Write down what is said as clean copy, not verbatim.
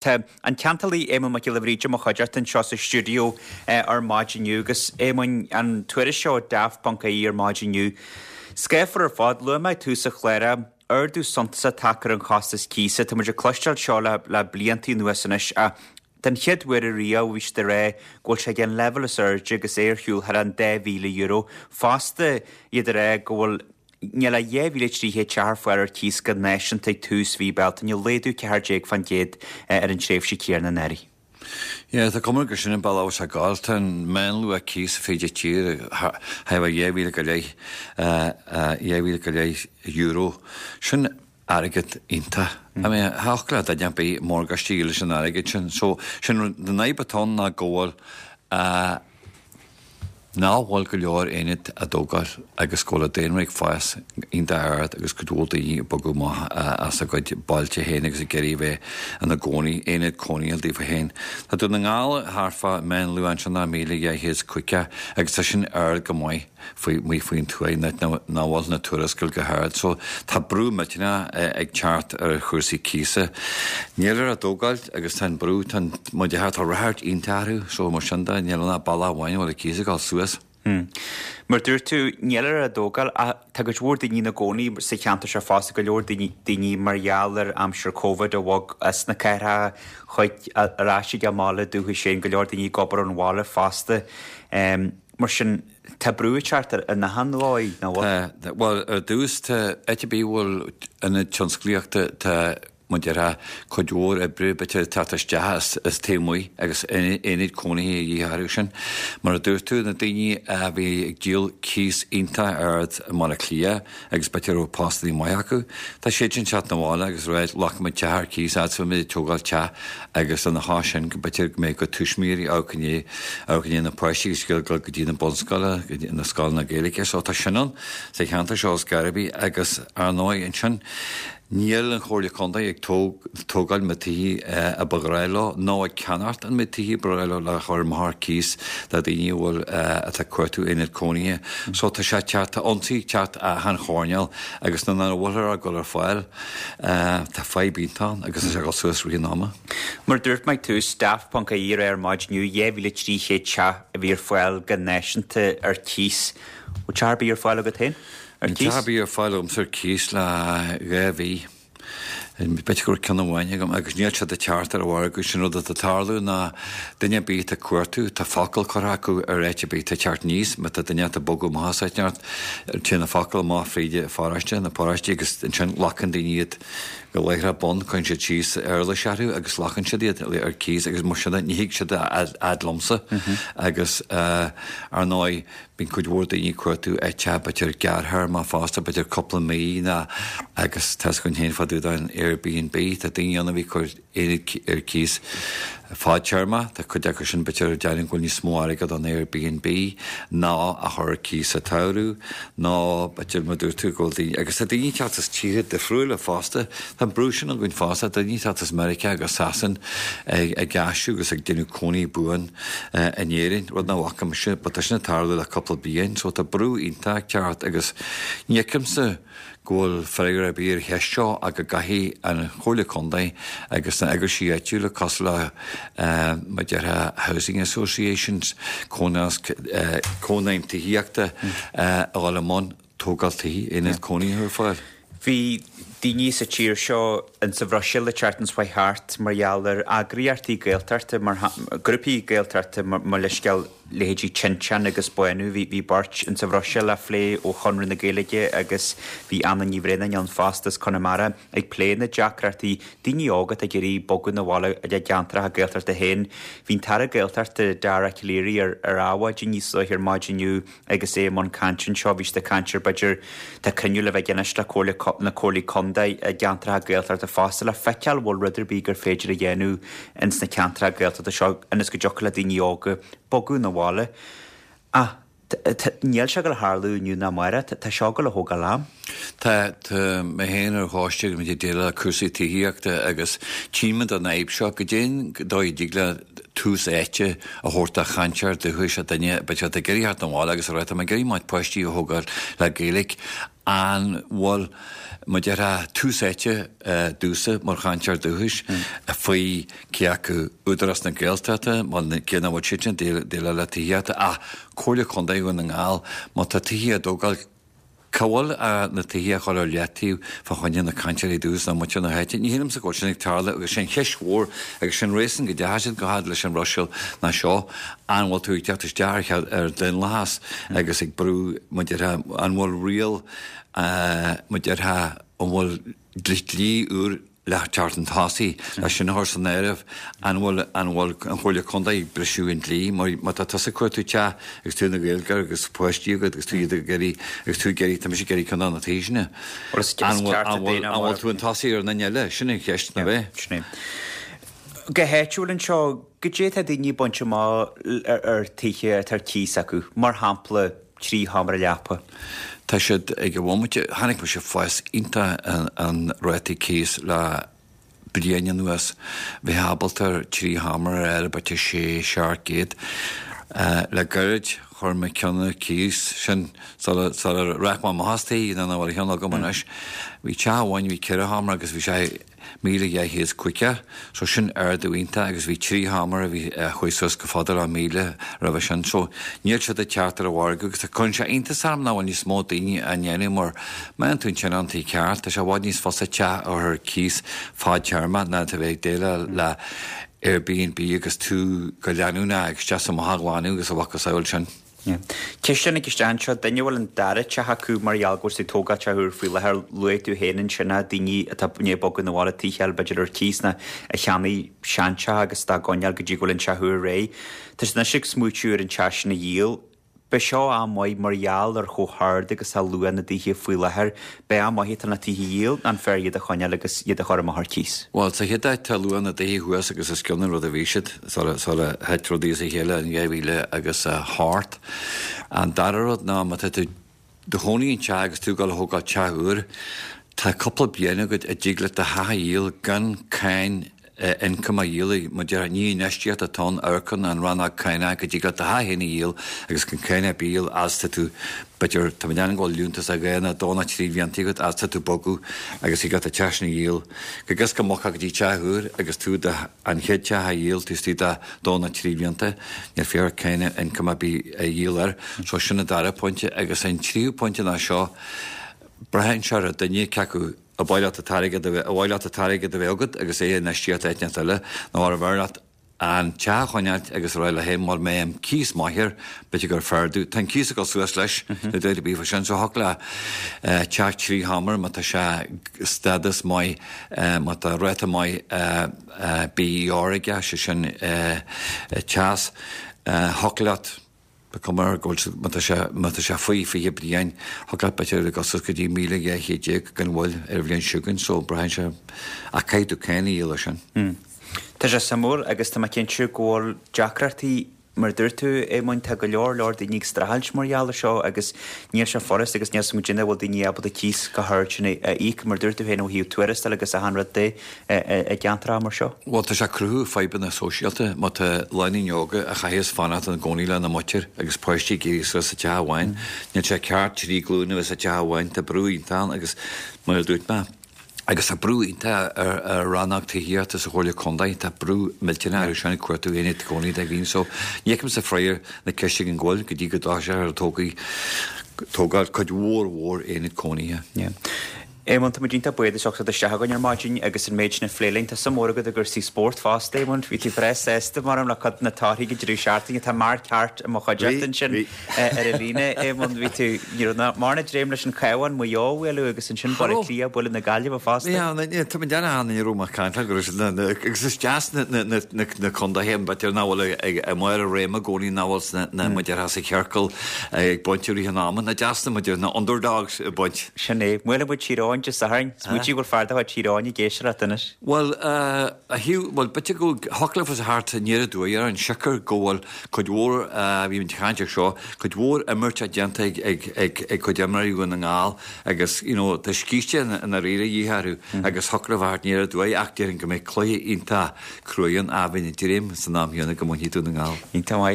Tá an ceantálaí Éamonn Mac Giolla Bhríde i mo chuideachta anseo sa stiúideo ar maidin inniu agus Éamoinn, an tuairisc seo Daft.ie ar maidin inniu. Scáfar ar fad, luaigh mé ag tús an chláir é, ardú suntasach tagtha ar an chostas cíosa. Tá muid ag cloisteáil seo le le blianta anuas anois ach den chéad uair ariamh bhí siad ag rá go bhfuil sé ag an leibhéal is airde agus é ar shiúl thar an €2,000. Fosta iad ag rá go bhfuil Níl ach 2,300 teach ar fáil ar cíos go náisiúnta ag tús mhí Bealtaine, laghdú 14% ar an tréimhse chéanna anuraidh. Yeah, tá cuma gur sin an bealach a bhfuil sé ag gabháil. Tá an meánluach cíosa fríd an tír thart fá 2,000 go leith, 2,000 go leith euro. Sin airgead iontach. I mean, thiocfadh le duine ar bith morgáiste a dhíol leis an airgead sin. So, sin an fhadhb atá ann ná go bhfuil, nach bhfuil go leor aonad á dtógáil agus go bhfuil an daonra ag fás iontach ard agus cuid mhór daoine ag bogadh amach as a gcuid bailte féin agus ag iarraidh a bheith ina gcónaí, aonad cónaithe daofa féin. Tá Dún na nGall thart fá meánluach ansin ná 1,250 agus tá sin ard go maith. faoi amuigh faoin tuaith in áit nach bhfuil na tuarascáil go hard so tá brú millteanach ag teacht ar chúrsaí cíosa. Nílthear á dtógáil agus tá an brú, tá an, mar a déarfá, tá ráchairt iontach orthu so mar sin de níl ann ach bealach amháin a bhfuil an cíos ag dul suas. Mar dúirt tú, nílthear á dtógáil ach tá cuid mhór daoine ina gcónaí sa cheantar seo fosta, go leor daoine, daoine mar gheall ar aimsir Covid a bhog as na cathracha chuig, ar ais ag a mbaile dúchais féin, go leor daoine ag obair ón bhaile fosta. Mar sin, tá brú ag teacht ar an achan dhóigh, nach bhfuil? Tá. Bhuel, ar dtús, tá, áit ar bith a bhfuil ionad tionsclaíochta, tá, mar a déarfá, cuid mhór oibre b'fhéidir ag teacht isteach as, as taobh amuigh agus aonaid cónaithe a dhíth orthu sin. Mar a dúirt tú, na daoine a bhí ag díol cíos iontach ard i mBaile Átha Cliath agus b'fhéidir a raibh postannaí maith acu, tá siad sin ag teacht 'na bhaile agus ag rá, glacfaidh muid teach ar cíos fhad is a bheidh muid ag tógáil teach agus lena chois sin go mb'fhéidir go mbeidh a gcuid tuismitheoirí amharc i ndiaidh amharc i ndiaidh na páistí agus ag dul go dtí na bunscoile, go dtí na scoileanna Gaeilge. So tá sin ann sa cheantar seo os Garvey agus ar ndóigh ansin níl an Chomhairle Contae ag tógáil na tithe a ba ghnáth leo nó ag ceannacht an méid tithe ba ghnáth leo le chur amach ar cíos do daoine a bhfuil atá ag cuartú aonad cónaithe. So tá sé ag teacht, tá ionsaí ag teacht achan choirnéal agus nuair nach bhfuilthear á gcur ar fáil Tá fadhb iontach ann agus tá sé ag dul suas rith an ama. Mar a dúirt mé ag tús, Daft.ie ar maidin inniu, 2,300 teach a bhí ar fáil go náisiúnta ar cíos. Bhfuil teach ar bith ar fáil agat féin ar cíos? Níl teach ar bith ar fáil agamsa ar cíos le 2 mhí. B'fhéidir go raibh ceann amháin agam agus níl siad ag teacht ar an mhargadh. Sin rud atá ag tarlú ná duine ar bith atá ag cuartú, tá focal curtha acu ar áit ar bith atá ag teacht aníos, má tá duine atá ag bogadh amach as áit inteacht, Téann an focal amach fríd an pharóiste, na paróistí agus ansin glacann daoine iad go láithreach bonn, cuireann siad síos éarlais orthu agus glacann siad iad ar cíos agus mar sin de ní thig siad a fhad liomsa agus ar ndóigh bíonn cuid mhór daoine ag cuartú áit b'fhéidir gearrthéarma fosta, b'fhéidir cúpla mí ná agus tá 'fhios againn féin fá dtaobh den Airbnb, tá daoine ann a bhí ag cur aonaid ar cíos fadtéarma. Tá cuid acu sin b'fhéidir ag déanamh go bhfuil níos mó airgead an Airbnb ná a chur ar cíos sa tsamhradh nó b'fhéidir mar dúirt tú go bhfuil daoine, agus tá daoine ag teacht as tíortha difriúla fosta, tá an brú sin againn fosta, daoine ag teacht as Meiriceá agus Sasain ag aistriú agus ag déanamh cónaí buan in Éirinn, rud nach bhfaca mise, but tá sin ag tarlú le cúpla bliain so tá brú iontach ag teacht agus ní fheicimse go bhfuil freagra ar bith ar an cheist seo ach go gcaithfidh an Chomhairle Contae agus na eagraisí áitiúla cosúil le mar a déarfá Housing Associations, Cónaidhm Tithíochta a dhul i mbun tógáil tithe, aonad cónaithe ar fáil. Bhí daoine sa tír seo in sa Bhruiséil an tseachtain seo chuaigh thart mar gheall ar eagraíochtaí Gaeltachta, mar grúpaí Gaeltachta, mo leithscéal, leithéidí Tinteán agus Bánú. Bhí beirt in sa Bhruiséil á phlé ó Chonradh na Gaeilge agus bhí Anna Ní Bhraonáin ann fosta as Conamara ag plé na deacrachtaí daoine óga atá ag iarraidh bogadh 'na bhaile ag a gceantracha Gaeltachta féin. Bhí an tAire Gaeltachta Dara Calleary ar ar Adhmhaidin níos luaithe ar maidin inniu agus é i mbun cainte anseo. Bhí siad ag caint ar b'fhéidir tá cruinniú le bheith anois le comhairle na comhairlí contae i gceantracha Gaeltachta fosta le feiceáil bhfuil rud ar bith gur féidir a dhéanamh ins na ceantracha Gaeltachta seo ionas go dtiocfadh le daoine óga bogadh 'na bhaile. Ach níl sé ag dul a tharlú inniu ná amárach, tá seo ag dul a thógáil am. Tá, tá mé féin ar choiste agus muid ag déileáil le cúrsaí tithíochta agus tchímid an fhadhb seo, goidé an dóigh a dtig le. tús áite a thabhairt do chainteoir dúchais, a duine, b'fhéidir atá ag iarraidh theacht 'na bhaile agus a rá tá mé ag iarraidh mo pháistí a thógáil le Gaeilge, an bhfuil, mar déarfá, tús áite domhsa mar chainteoir dúchais faoi cé acu Údarás na Gaeltachta, cé nach bhfuil siadsan ag déileáil le tithíochta, ach Comhairle Contae Dhún na nGall, má tá tithe á dtógáil, Cá bhfuil na tithe a chur ar leataobh fá choinne na cainteoirí dúchais nó muintir na háite? Ní shílimse go bhfuil sin ag tarlú agus sin cheist mhór agus sin réasún go dteachaigh siad go fad leis an Bhruiséil ná seo, an bhfuil tú ag teacht isteach ar ar daonlathas agus ag brú mar déarfá, an bhfuil riail mar déarfá, an bhfuil dlí úr le teacht chun tosaigh, le sin a chur san áireamh, an bhfuil, an bhfuil an Chomhairle Contae ag briseadh an dlí mar má tá tusa ag cuartú teach agus tú ina Ghaeilgeoir agus páistí agat agus tú iad ag iarraidh, agus tú ag iarraidh, tá mise ag iarraidh ceann de na tithe sin. An bhfuil, an bhfuil, an bhfuil tú chun tosaigh ar an duine eile? Sin an cheist, nach ea? Sin é. Go háitiúil anseo, goidé tá daoine ag baint amach ar tithe atá ar cíos acu, mar shampla, 3 sheomra leapa. Tá siad ag an bhomaite. Chonaic mise fás iontach an rátaí cíos le bliain anuas. Bheifeá ábalta ar 3 sheomra a fháil ar b'fhéidir sé, 700. Le gairid chuir mé ceann ar cíos, sin sula rachaidh mé amach as tigh, nó nach bhfuil a cheann agam anois. Bhí teach amháin, bhí 4 sheomra agus bhí sé. 1,250, so sin ardú iontach agus bhí 3 sheomra a bhí, a chuaigh suas go fada le 1,000 roimhe sin, so níl siad ag teacht ar an mhargadh agus cuireann sé iontas orm nach bhfuil níos mó daoine á ndéanamh mar má fhaigheann tú an tionóntaí ceart, tá sé i bhfad níos fusa teach a chur ar cíos fadtéarmach ná a bheith ag déileáil le Airbnb agus tú go leanúnach ag isteach is amach á ghlanadh agus a mhacasamhail sin. Ceist a tháinig isteach anseo, duine a bhfuil an dara teach acu mar gheall go bhfuil siad ag tógáil teach úr faoi láthair, luaigh tú féin ansin a daoine atá i ndiaidh bogadh 'na bhaile, tithe eile b'fhéidir ar cíos nó a cheannaigh seanteach agus dá gcoinneáil go dtí go bhfuil an teach úr réidh. Tá siad anois ag smaoitiú ar an teach sin a dhíol. Beidh seo am maith mar gheall ar chomh hard agus atá luach na dtithe faoi láthair. Beidh am maith atá na tithe a dhíol, an fearr iad a choinneáil agus iad a chur amach ar cíos? Bhuel, sa chéad áit tá luach na dtithe thuas agus os cionn an rud a bhí siad sula thit rudaí as a chéile in 2000 agus 8. An dara rud ná má tá tú do chónaí in teach agus tú ag dul a thógáil teach úr, tá cúpla bliain agat a dtig leat do theach a dhíol gan cáin ioncaim a dhíol, mar déarfá, ní infheistíocht atá ann, amharc an rannóg cánach go dtig leat do theach féin a dhíol agus gan cáin ar bith a dhíol as tá tú, b'fhéidir, tá mé ag déanamh go bhfuil liúntas de dhá nó dó nó trí bhlianta agat as tá tú bogadh agus thig leat an teach sin a dhíol go gcos go mbogfá go dtí teach úr agus tú do an chéad teach a dhíol taobh istigh de dó nó trí bhlianta, níl féidir cáin ioncaim ar bith a dhíol air. So sin an dara pointe agus an tríú pointe ná seo, braitheann sé ar an duine cé acu Ar mhaith leat an t-airgead a bheith, ar mhaith leat an t-airgead a bheith agat agus é a infheistíocht áit inteacht eile, nó arbh fhearr leat an teach a choinneáilt agus a rá leat féin mura mbeidh an cíos maith air, b'fhéidir gur fearr domh. Tá an cíos ag dul suas leis, níl dabht ar bith faoi sin, so thiocfadh le teach 3 sheomra má tá sé stádas maith, má tá ráta maith BER aige, sé sin teas, thiocfadh leat, Ba cuma air go bhfuil, má tá sé, má tá sé faoi 20 bliain, thiocfadh leat b'fhéidir ag dul suas go dtí 1,200 gan mhoill ar an bhliain seo chugainn, so braitheann sé, ach caithfidh tú cáin a dhíol air sin. Tá sé suimiúil agus tá mé cinnte go bhfuil deacrachtaí, mar a dúirt tú, Éamoinn, tá go leor leor daoine ag streachailt mar gheall ar seo agus níl sé furast agus níl 's agam goidé an bhfuil daoine ábalta cíos chomh hard sin a íoc, mar a dúirt tú féin ó thaobh tuarastail agus achan rud de. i gceantracha mar seo. Bhuel, tá sé ag cruthú fadhbanna sóisialta má tá lánúin óga a chaitheas fanacht ina gcónaí lena muintir agus páistí ag éirí suas sa teach amháin. Níl sé ceart trí glúin a bheith sa teach amháin. Tá brú iontach ann agus, mar a dúirt mé, agus tá brú iontach ar rannóg tithíochta sa Chomhairle Contae. Tá brú millteanach orthu sin ag cuartú aonad cónaí do dhaoine. So, ní fheicimse freagra na ceiste gan mhoill go dtí go dtoiseofar ag tógáil cuid mhór mhór aonad cónaithe. Éamonn, tá muid iontach buíoch as ucht a theacht isteach chugainn ar maidin agus an méid sin a phlé linn. Tá suim mhór agat i gcúrsaí spóirt fosta, Éamonn. Bhí tú breá sásta, mar le cuid de na torthaí ag an deireadh seachtaine. Tá marc ceart i mo chuideachta ansin ar an líne, Éamonn. Bhí tú, ní raibh mórán dréim leis an Chabhán, Maigh Eo a bhualadh agus ansin Baile Átha Cliath ag bualadh na Gaillimhe fosta. Tá mé ag déanamh ní raibh mé ag caint go raibh siad agus is deas na contaetha b'fhéidir nach bhfuil ag i mbarr a réime i gcónaí nach bhfuil sna mar a déarfá sa chiorcal ag baint i rith an ama. Is deas na mar a déarfá na underdogs ag baint. Sin é. Buailfidh muid Tír Eoghain. Eoghain Dé Sathairn. Smaointigh go bhfuil fear de chuid Thír Eoghain ag éisteacht anois. Bhuel, a Hugh, bhuel, b'fhéidir go thiocfadh leofa a theacht aniar aduaidh orainn, siocair go bhfuil cuid mhór, bhí muid ag caint air seo, cuid mhór imirt déanta ag, ag, ag, ag cuid imreoirí Dhún na nGall agus, you know, tá scíste i ndáiríre de dhíth orthu agus thiocfadh leofa a theacht aniar aduaidh ach déarfainn go mbeidh cluiche iontach cruaidh ann ach bheinn ag dréim san am chéanna go mbainfidh Dún na nGall. Iontach maith.